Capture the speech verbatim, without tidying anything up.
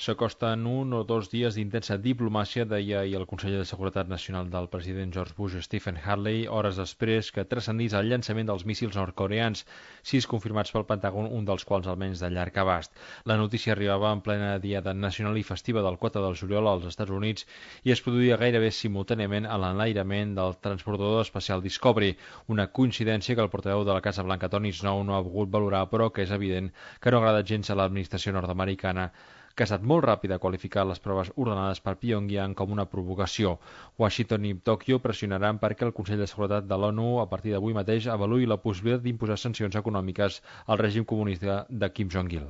s'acosten un o dos dies d'intensa diplomàcia, deia ahir el conseller de Seguretat Nacional del president George Bush, Stephen Harley, hores després que transcendís el llançament dels míssils nord-coreans, sis confirmats pel Pentàgon, un dels quals almenys de llarg abast. La notícia arribava en plena diada nacional i festiva del quatre de juliol als Estats Units i es produïa gairebé simultàniament a l'enlairament del transbordador espacial Discovery, una coincidència que el portaveu de la Casa Blanca, Tony Snow, no ha volgut valorar, però que és evident que no agrada gens a l'administració nord-americana, que ha estat molt ràpida a qualificar les proves ordenades per Pyongyang com una provocació. Washington i Tòquio pressionaran perquè el Consell de Seguretat de l'ONU a partir d'avui mateix avaluï la possibilitat d'imposar sancions econòmiques al règim comunista de Kim Jong-il.